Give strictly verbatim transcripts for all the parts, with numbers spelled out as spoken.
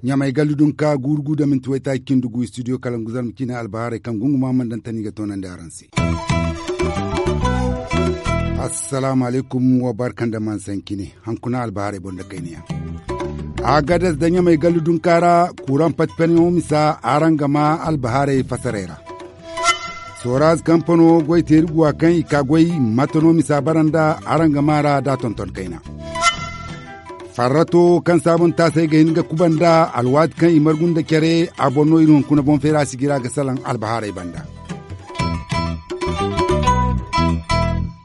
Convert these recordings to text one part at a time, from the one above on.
Ɲamay gallu dunka guuru gu da minti waytaaci cindi gu studio kalangu zarma ciine albahaarey kaŋ gunguma mana daŋ tani ga toonandi araŋ se. Assalaamu alaykum, wa barka nda mansancine. Hankuna albahaarey boŋ da kayna yaŋ. Agadas da ɲamay gallu dunka ra kuuraŋ pati paniyaŋo misa araŋ ga ma albahaarey fasaray ra. Soraz kampano goy teeri guwa kaŋ i ka goy, mate no misa bara nda araŋ ga ma ra da tonton kayna. Farrato kaŋ saabun taasay ga hin ga kuba nda alwaati kaŋ i margu nda care, a boŋ no iri hunkuna boŋ feera sijira ga salaŋ albahaarey banda.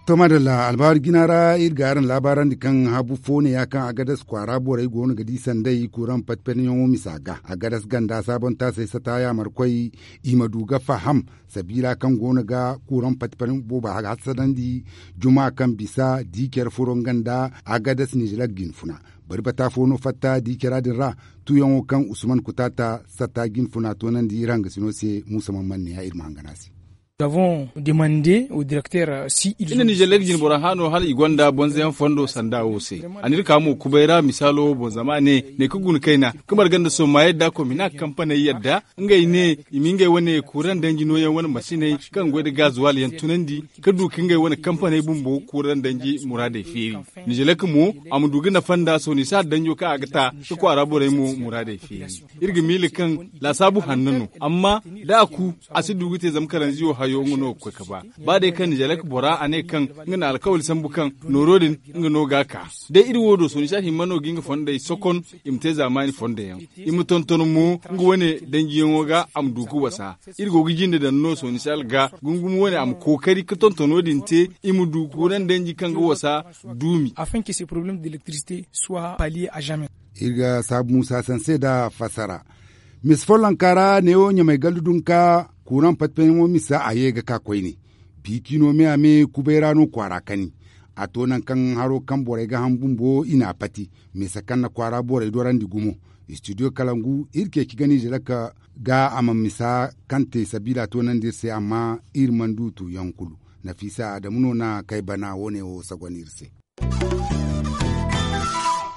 To madalla, albahaari jina ra iri ga araŋ laabaarandi kaŋ habu fo ne ya kaŋ agadas kwaara borey go no ga di sanday kuuraŋ pati paniyaŋo misa ga agadas ganda saabun taasay sata yaamarkoy, i ma du ga faham sabiila kaŋ go no ga kuuraŋ pati paniyaŋo boobo hasadandi. Juma kaŋ bisa di care furo nga nda agadas nizelak jinfuna bari bata fo no fatta di cara din ra. Tuuyaŋo kaŋ usman kutaata satta jinfuna toonandi iri hangasino se muusa man manne ya iri ma hangana se. Iri na nizelek jinbora hano hala i gonda bonzayaŋ fondo sanda wo se. A n'iri ka mo kubay ra misaalo wo boŋ zama a ne ne ka guna kayna ka marga nda sohõ ma yadda komina kampaney yadda ngey ne i ma ngey wane kuuraŋ danji nooyaŋ wane masiney kaŋ goy nda gaazuwal yaŋ tunandi ka du ka ngey wane kampaney bumbo kuuraŋ danji muraadey feeri. Nizelek mo a ma du ga nafa nda sohõ ni si har danjo kaŋ a ga ta ka kwaara borey mo muraadey feeri. Iri ga miila kaŋ laasaabu hanno no amma da a ku a si du ga te zama karanziyo hayo nga no ga koy ka ba. Ba day kaŋ nizelek bora a ne kaŋ nga na alkawali sambu kaŋ nooro din nga no ga a ka. Day iri wo do sohõ ni si a himma no ga nga fondey sokon i ma te zaamaani fondo yaŋ. I ma tonton mo nga wane danjiyaŋo ga a ma du ga wasa. Iri go ga jinde daŋ no sohõ ni si alga gungumi wane a ma kookari ka tontono din te i ma du kuuraŋ danji kaŋ ga wasa duumi. Afin que ces problèmes d'électricité soient palliés à jamais. Iri ga saabu muusa sanse nda fassara. Misa follonka ra neewo ɲamay gallu dunka kuuraŋ patpayyaŋo misa a ye ga ka koyne. Biiki no me a me kubay ra no kwaara kani. A to nangu kaŋ haro kaŋ borey ga ham bumbo i n'a pati. Misa kaŋ na kwaara borey dorandi gumo. Istidiyo kalangu iri ceeci ga niize lakka ga a ma misa kaŋ te sabiila toonandi iri se amma iri mana du tuuyaŋ kulu. Nafiisa adamu no na kay bana wo- ne wo sagon iri se.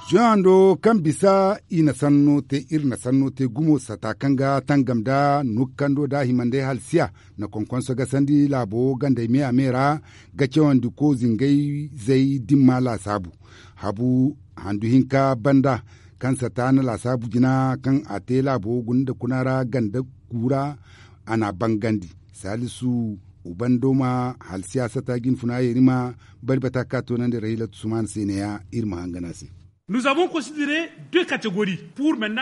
Zuwando kaŋ bisa i na sanno te iri na sanno te gumo sata kaŋ ga tangam nda nukkando nda himandey halsiya na konkonso gasandi laabo gandey me a me ra ga cawandi ko zingay zay dimma laasaabu. Habu handu hinka banda kaŋ sata na laasaabu jina kaŋ a te laabo guna nda kuna ra ganda kuura a n'a bangandi. Salisu ubandoma halsiya sata jinfuna yeeri ma bari bata ka toonandi rahilatu sumaana se neeya iri ma hangan a se.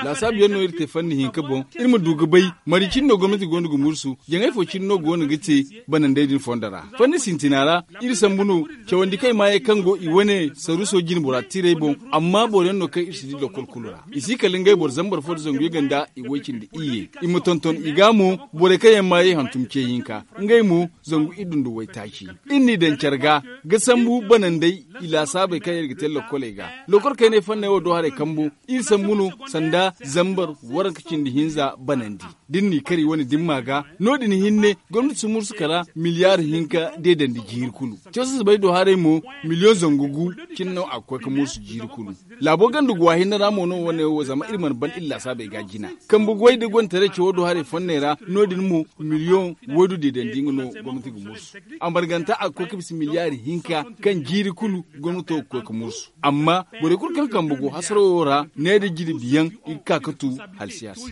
Laasaabu yaŋ no iri te fanni hinka boŋ. Iri ma du ga bay mari cine no gomnati go no ga mursu jaŋay fo cine no go no ga te banandey din fondo ra. Fanni sintina ra iri sambu no cawandi kaŋ i maayey kaŋ go i wane saruso jine bora tiirey boŋ. Amma boro yaŋ no kaŋ iri si di lokol kulu ra i si kala ngey boro zambar fo nda zangu yaganda i way cindi iyye. I ma tonton i ga mo borey kaŋ yaŋ maayey hantum ce hinka ngey mo zangu iddu nda waytaaci. Iri n'i daŋ care ga ga sambu banandey i laasaabey kaŋ yaŋ iri ga te lokoley ga. Lokol kaynay fanney wo do haray kambu iri sambu no sanda zambar waranka cindi hinza banandi. Da iri n'i kar i wane dimma ga no- din hinne gomnati si mursu kala miliyaari hinka deedandi jiiri kulu. Cawsasabey do haray mo miliyoŋ zangu gu cine no a ga koy ga mursu jiiri kulu. Laabo ganda guwa hinne ra mo no wane wo zama iri mana ban iri laasaabey ga jina. Kambe goy da gondataray cawo do haray fonney ra no- din mo miliyoŋ waydu deedandi nga no gomnati ga mursu. A marganta a ga koy ga bisa miliyaari hinka kaŋ jiiri kulu gomnato ga koy ga mursu. Amma borey kulu kaŋ kambe go hasaro wo ra ne da jirbi yaŋ i ga ka ga tu halsiya se.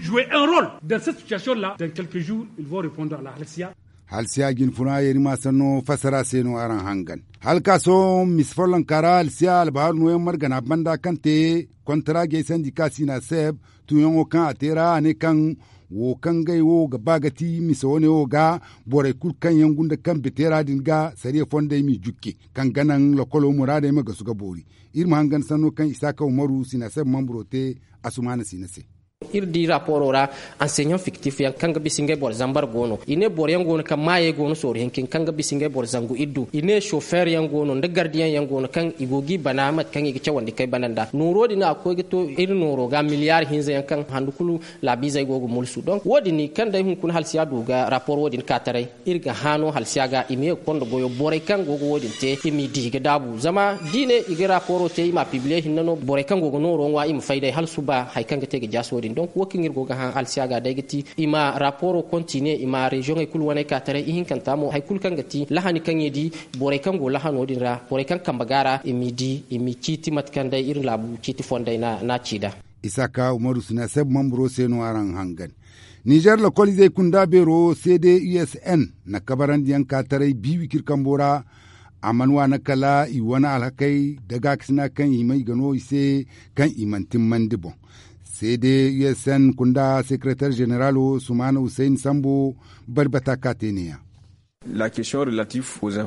Halsiya jinfuna yeeri ma sanno fassara se no araŋ hangan. Hala ka sohõ misa follonka ra halsiya albahaaru nooyaŋ margana banda kaŋ te kontara geesandi ka siina seeb tuuyaŋo kaŋ a te ra a ne kaŋ wo kaŋ ngey wo ga ba ga ti misa wane wo ga borey kulu kaŋ yaŋ gunda kambe teera din ga sariya fondey m'i jukke kaŋ ga naŋ lokolo muraadey ma gasu ga boori. Iri ma hangan sanno kaŋ isaaka umaru siina seeb mamburo te asumaana siina se. Iri di raporo ra, anseɲaŋ fiktif yaŋ kaŋ ga bisa ngey boro zambar go no. I ne boro yaŋ go no kaŋ maayey go no sooru hinkin kaŋ ga bisa ngey boro zangu iddu. I ne sofeer yaŋ go no nda gardiyaŋ yaŋ go no kaŋ i go g'i bana mate kaŋ i ga cawandi kay bana nda nooro din a ga koy ga to iri nooro ga miliyaari hinza yaŋ kaŋ handu kulu laabiizey go ga mulsu donk wo- din kaŋ day hunkuna halsiya du ga rapor wo- din ka taray. Iri ga hã no halsiya ga i ma ye ga konda goyo borey kaŋ go ga wo- din te i m'i di ga daabu zama da i ne i ga raporo te i m'a pibliye hinne no borey kaŋ go ga nooro ŋwa i ma fay day hala suba hari kaŋ ga te ga jaasi wo- din donk wo kaŋ iri go ga hã halsiya ga day ga ti i ma raporo kontine i ma reziyoŋey kulu waney ka taray ihinkanta mo hari kulu kaŋ ga ti lahani kaŋ i di borey kaŋ go lahano din ra borey kaŋ kambe ga ra i m'i di i m'i ciiti mate kaŋ day iri laabu ciiti fondey n'a ci nd'a. Isaaka umaru sina seb mamburo se no araŋ hangan. Nizer lokoliizey kunda beero c d u s n na kabarandiyaŋ ka taray bi wicir kambo ra. A mana waana kala i wane alhakey da gaakasina kaŋ i may ga no i se kaŋ i mana timmandi boŋ. C d u s n kunda sekeretar zeneralo sumaana huseyn sambo bari bata ka te ne- ya.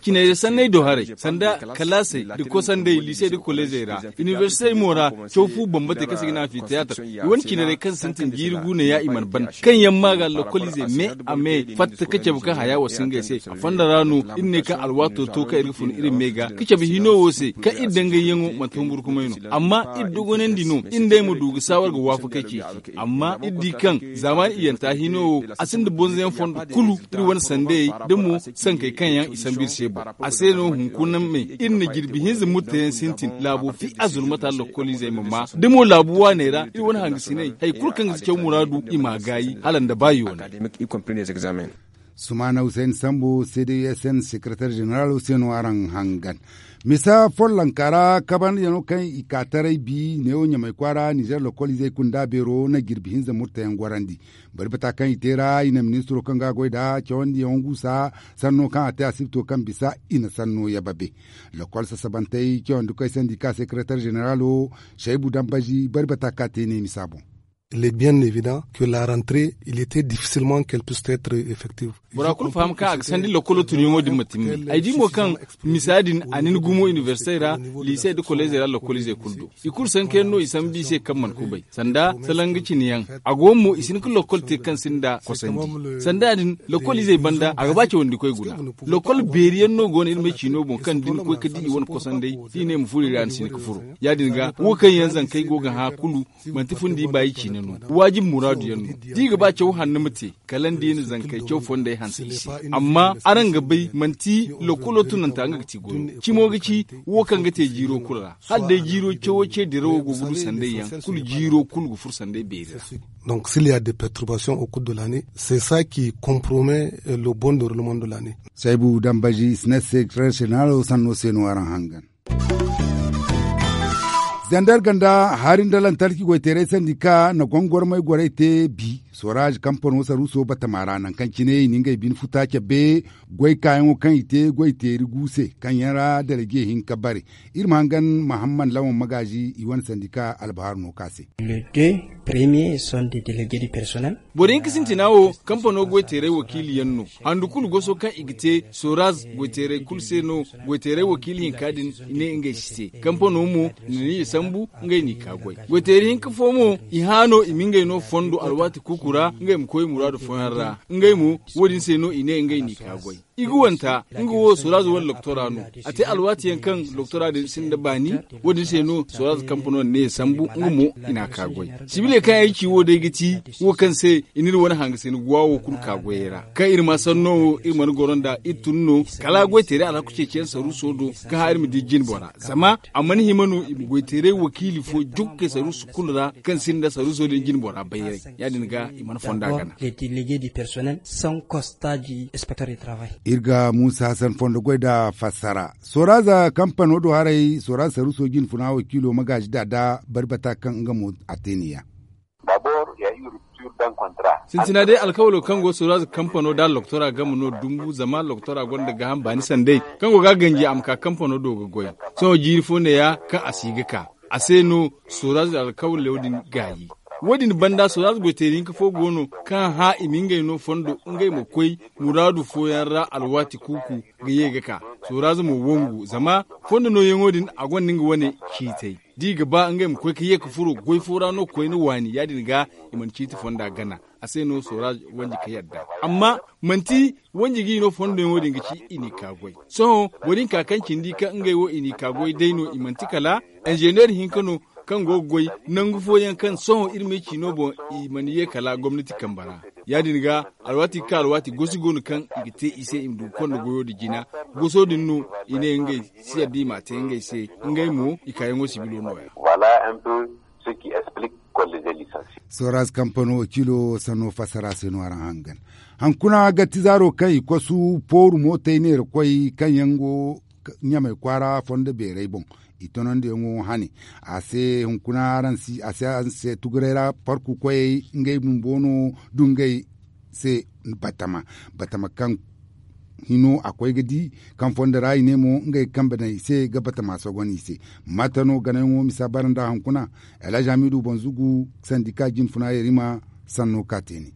Ciney da sanney do haray sanda kalaasey da kosandey liisey da koleezey ra inibersitey mo ra caw fu bambatey kaŋ se ga ne anfiteyaatar i wane cinarey kaŋ sintin jiiri guuneya i mana ban kaŋ yaŋ ma ga lokoliizey me a me fatta ka cabe kaŋ haya wa si ngey se a fonda ra no iri ne kaŋ alwaato to kaŋ iri ga fun iri me ga ka cabe hino wo se kaŋ iri dangayyaŋo manti humburkumay no amma iri dogonandi no iri nd'ey ma du ga saawar ga waafakey ceeci. Amma iri di kaŋ zaamaani iyyanta hino wo a sinda bonzoyaŋ fondo kulu iri wane sandayey da mo sankey kaŋ yaŋ i sambu iri se boŋ. A se no hunkuna me iri na jirbi hinza murteyaŋ sintin laabo fi azurmata lokkoliizey ma maa da mo laabu waaney ra iri wane hangasiney hari kulu kaŋ ga si caw muraadu i m'a gaayi hala nda ba yoonay. Sumaana huseyn sambu c d u s n sekeretar zeneralo se no araŋ hangan. Misa follonka ra kabandiyaŋo kaŋ i ka taray bi neewo ɲamay kwaara nizer lokoliizey kunda beero na jirbi hinza murtayaŋ gorandi. Bari bata kaŋ i te ra i na ministiro kaŋ ga a goy nd'a cawandiyaŋo guusa sanno kaŋ a te asibito kaŋ bisa i na sanno yababe. Lokol sasabantey cawandikoy sandika sekeretar zeneralo saybu dambazi bari bata kaŋ a te ne misa boŋ. Il est bien évident que la rentrée il était difficilement qu'elle puisse être effective. Bora kulu faham kaŋ a ga sandi lokolo tunyaŋo din ma timni ay di mo kaŋ misa din a nin gumo inibersitey ra liisey da koleezey ra lokoliizey kulu do i kulu sankayaŋ no i sambu i se kaŋ mana kubay sanda salanga cine yaŋ. A go mo i si hin ka lokol te kaŋ sinda kosandi sanda din lokoliizey banda a ga ba cawandikoy guna. Lokol beeri yaŋ no go no iri ma ay ciino boŋ kaŋ da ni koy ka di i wane kosandey da i ne ma furo i ra ni si hin ka furo. Ya- din ga wo kaŋ yaŋ zankey go ga hã kulu manti fundi baayi ciine no. Waajib muraadu yaŋ no da i ga ba caw hanno ma te kala nda i na zankey caw fondey hanse i se. Amma araŋ ga bay manti lokolo tunanta nga ga ti goyo cimo ga ci wo kaŋ ga te jiiro kulu ra hala day jiiro cawo ce dirawo go ga du sanday yaŋ kulu jiiro kulu ga furo sanday beeri ra. Donc s'il y a des perturbations au cours de l'année c'est ça qui compromet le bon déroulement de l'année. Saybu dambazi i si ne secretaire général sanno se no araŋ hangan. Zandar ganda hari nda lantarki goyteeray sandika na gongormay goray te bi soraaz kampano saruuso batama ra nangu kaŋ cine i na ngey bine futa cabe goy kaayaŋo kaŋ i te goyteeri gu se kaŋ yaŋ ra dalaje hinka bare. Iri ma hangan mahammad lawan magaazi i wane sandika albahaaru no ka se. Boro hinka sintina wo kampano goyteeray wakiili yaŋ no. Handu kulu goso kaŋ i ga te soraz goyteeray kulu se no. Goyteeray wakiili hinka din i ne ngey si te kampano mo na ni i sambu ngey n'i ka goy. Goyteeray hinka fo mo i hã no i ma ngey no fondo alwaati kuuku ra ngey ma koy muraadu fooyaŋ ra. Ngey mo wo- din se no i ne ngey n'i ka goy. I ga wanta nga wo soraz wane loktora no. A te alwaati yaŋ kaŋ loktora din sinda baani. Wo- din se no soraz kampano ne sambu nga mo i n'a ka goy. Sibile kaŋ ay ci wo day ga ti wo kaŋ se i n'iri wane hangasina guwa wo kulu ka goyey ra kaŋ iri ma sanno wo iri mana goro nda iri tun no. Kala goy teeray alhaku ceeciyaŋ saruuso do ka hã iri ma di jine bora zama a mana hima no i ma goy teeray wakiili fo jukka saruuso kulu ra kaŋ sinda saruuso din jine bora bayray. Ya- din ga i mana fonda gana. Iri ga muusa hasan fondo goy nda fassara soraza kampano do haray soraza saruuso jinfuna wakiilo magaazi da da bari bata kaŋ nga mo a te ni ya. Sintina day alkawalo kaŋ go soraza kampano da loktora game no dumbu zama loktora gonda gaaham baani sanday kaŋ go ga ganji a ma ka kampano do ga goy. Sohõ jiiri fo ne ya kaŋ a si ga ka a se no soraza alkawalo din gaayi. Wo- din banda soraza goyteeri hinka fo go no kaŋ hã i ma ngey no fondo ngey ma koy muraadu fooyaŋ ra alwaati kuuku ga ye ga ka. Sooraaze mo wangu zama fondo nooyaŋo din a gonda nga wane ciitay da i ga ba ngey ma koy ga ye ga furo goy fo ra no koyne waani ya- din ga i mana ciiti fonda gana. A se no sooraaze wanji ga yadda amma manti wanji ga i no fondo yaŋo din ga ci i n'i ka goy. Sohõ boro din ka kaŋ cindi kaŋ ngey wo i n'i ka goy day no i manti kala inzeneer hinka no kaŋ go ga goy nangu fooyaŋ kaŋ sohõ iri ma ay ci no boŋ i mana ye kala gomnati kambe ra. Ya- din ga alwaati ga ka alwaati gosi go no kaŋ i ga te i se i ma du ga konda goyo din jina. Goso din no i ne ngey si yadda i m'a te ngey se. Ngey mo i kaayaŋo sibilo no- ya. Sooraaze kampano wakiilo sanno fassara se no araŋ hangan. Hankuna gatti zaaro kaŋ i kosu pooru mootey neerakoy kaŋ yaŋ go ɲamay kwaara fondo beerey boŋ i tonandiyaŋo hane. A se hunkuna araŋ se tuguray ra parku koyey ngey bumbo no dungay se batama batama kaŋ hino a koy ga di kaŋ fondo ra i ne mo ngey ga kambe daŋ i se ga batama sogon i se. Mate no ganayaŋo misa bara nda hunkuna? Alhazi hamidu banzugu sandika jinfuna yarima sanno ka te ne.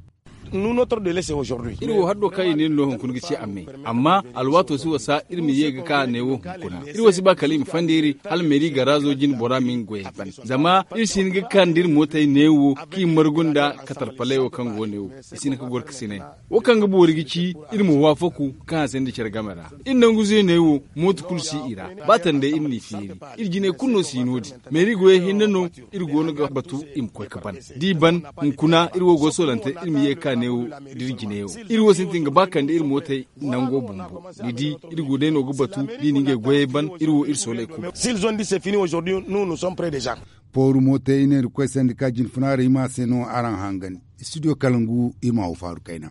Iri wo haddo kaŋ i ne no hunkuna ga ci a me amma alwaato si wasa iri ma ye ga ka neewo hunkuna iri wo si ba kala i ma fand'iri hala meeri garaazo jine bora ma nga goyey ban zama iri si hin ga ka nda iri mootey neewo kaŋ i margu nda katarpaley wo kaŋ go neewo i si hin ga goro ga sinay. Wo kaŋ ga boori ga ci iri ma waafaku kaŋ a sinda care game ra. Iri nangu zeeney wo mooto kulu si i ra. Ba tandey iri n'i feeri. Iri jinay kulu no si no- din. Meeri goyey hinne no iri go no ga batu i ma koy ga ban. Da i ban, hunkuna iri wo go ga soolante iri ma ye ga ka neewo da iri jinay wo. Iri wo sintin ga ba kande iri mootey nango bumbo. Ni di, iri go day no ga batu da i na ngey goyey ban iri wo iri soolay kulu. Pooru mootey i ne iri koy sandika jinfuna ra i ma se no araŋ hangan. Studio kalangu i ma wo faaru kayna.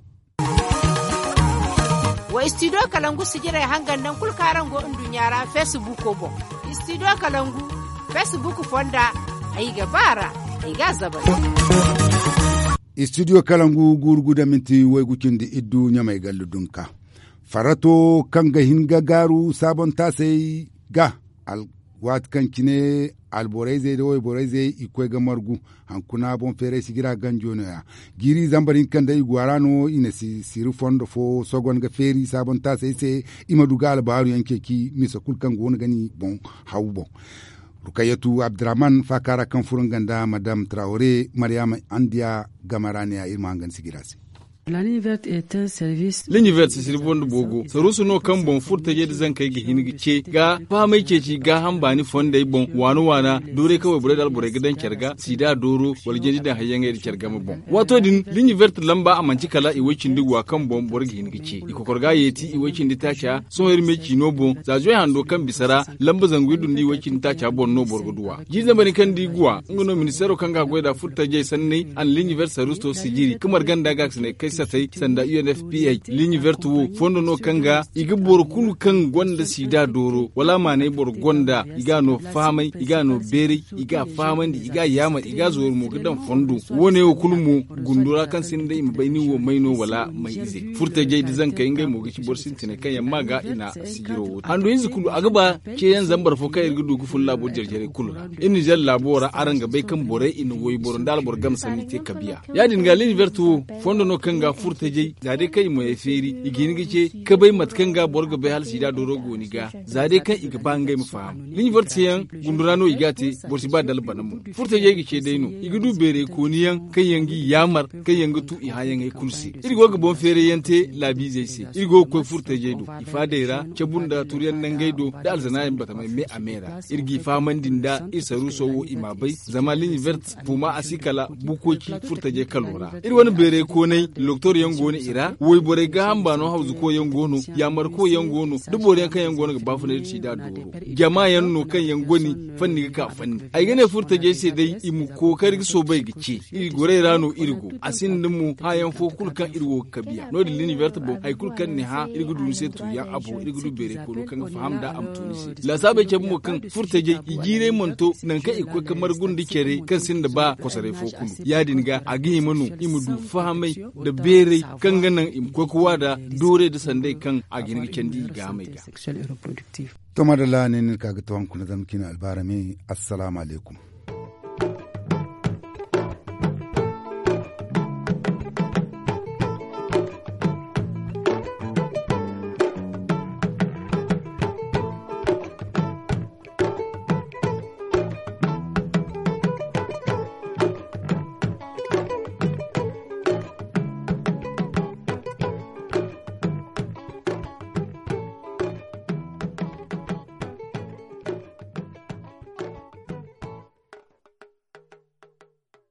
Wa studio kalangu sijirey hangan nangu kulu kaŋ araŋ go nduɲɲa ra feesibuuko boŋ. Studio kalangu feesibuuko fonda ay ga ba a ra. Ay ga a zabay. Studio kalangu guuru guda minti waygu cindi iddu ɲamay gallu dunka. Farrato kaŋ ga hin ga gaaru saabon taasey ga waati kaŋ cine alborayzey nda wayborayzey i ga koy ga margu. Hankuna boŋ feeray sijira ganjo no- ya. Jiiri zambar hinka nda i go a ra no i na siri fondo fo sogon ga feeri saabontaasey se. I ma du ga albaaru yaŋ ceeci misa kulu kaŋ go no ga ni boŋ haw boŋ. Rukayyatu abdurrahman faaka ra kaŋ furo nga nda madam trawre maryaama andiya game ra ne- ya iri ma hangan sijira se. Ligne verte sisiri fondo boogo saruusu no kaŋ boŋ furtajey nda zankey ga hin ga ce ga fahamey ceeci gaaham baani fondey boŋ waana waana. Doorey kaŋ wayborey nda alborey ga daŋ care ga siida dooro wala janji daŋ hayyaŋey nda care game boŋ. Waato din ligne verte lamba a manti kala i way-cindi guwa kaŋ boŋ boro ga hin ga ce i kokor ga a yeeti i way-cindi taaca. Sohõ iri me ciino boŋ za zuway hando kaŋ bisa ra lamba zangu iri du nda i way-cindi taaca boŋ no boro ga duw'a. Jiiri zambar din kaŋ nda i guwa nga no ministeero kaŋ ga a goy nd'a furtajey sanney a na ligne verte saruuso to sijiri ga marga nda gaakasinay kay satay sanda unfpa. Ligne verte wo fondo no kaŋ ga i ga boro kulu kaŋ gonda siida dooro wala a maanay boro gonda i ga a no fahamay i ga a no beeray i ga a fahamandi i ga a yaamar i ga a zooru mo ga daŋ fondo. Wo- ne wo kulu mo gundu ra kaŋ sinda i ma bay nin wo may no wala may ize furtajey nda zankey ngey mo ga ci boro sintinay kaŋ yaŋ ma ga i na sijiro wo te handu hinza kulu a ga ba ceeyaŋ zambar fo kaŋ iri ga du ga fun laabo jare-jarey kulu ra. Iri nizer laabo ra araŋ ga bay kaŋ borey i na wayboro nda alboro game sanni te kabiya. Ya- din ga ligne verte wo fondo no kaŋ ga furtajey za day kaŋ i moyey feeri i ga hin ga ce kabay mate kaŋ ga boro ga bay hala siida dooro go ni ga za day kaŋ i ga ba ngey ma faham. Ligne verte se yaŋ gundu ra no i ga a te. Boro si ba dala bana mo furtajey ga ce day no i ga du beeray kooni yaŋ kaŋ yaŋ g'i yaamar kaŋ yaŋ ga tu i hããyaŋey kulu se. Iri go ga boŋ feeray yaŋ te laabiizey se iri go ga koy furtajey do i faadey ra cabu nda turyaŋ nangey do nda alzanaayaŋ batamey me a me ra. Iri g'i fahamandi nda iri saruuso wo i m'a bay zama ligne verte buuma a si kala bukoci furtajey kalo ra. Iri wane beeray koonay loktor yaŋ go no i ra wayborey gaaham baano hawzuko yaŋ go no yaamarko yaŋ go no da boro yaŋ kaŋ yaŋ go no ga baafunay da siida dooro jama yaŋ no kaŋ yaŋ goni fanni ga ka fanni. Ay ga ne furtajey se day i ma kookari ga soobay ga ce iri gorey ra no iri go a sinda mo hããyaŋ fo kulu kaŋ iri wo ga kabiya no- din ligne verte boŋ hari kulu kaŋ ni hã iri ga du ni se tuuyaŋ a boŋ iri ga du beeray koonu kaŋ ga faham nd'a a ma tu ni se. Laasaabey cabe mo kaŋ furtajey i jiiray mana to nangu kaŋ i ga koy ga margu nda care kaŋ sinda ba kosoray fo kulu ya- din ga a ga hima no i ma du fahamay nda beeray kaŋ ga naŋ i ma koy ga waada doorey nda sanday kaŋ a ga hin ga candi i gaahamey ga. To madalla ne ni ka ga tawaŋ kuna zama cine albaarami. Assalaamu alaykum.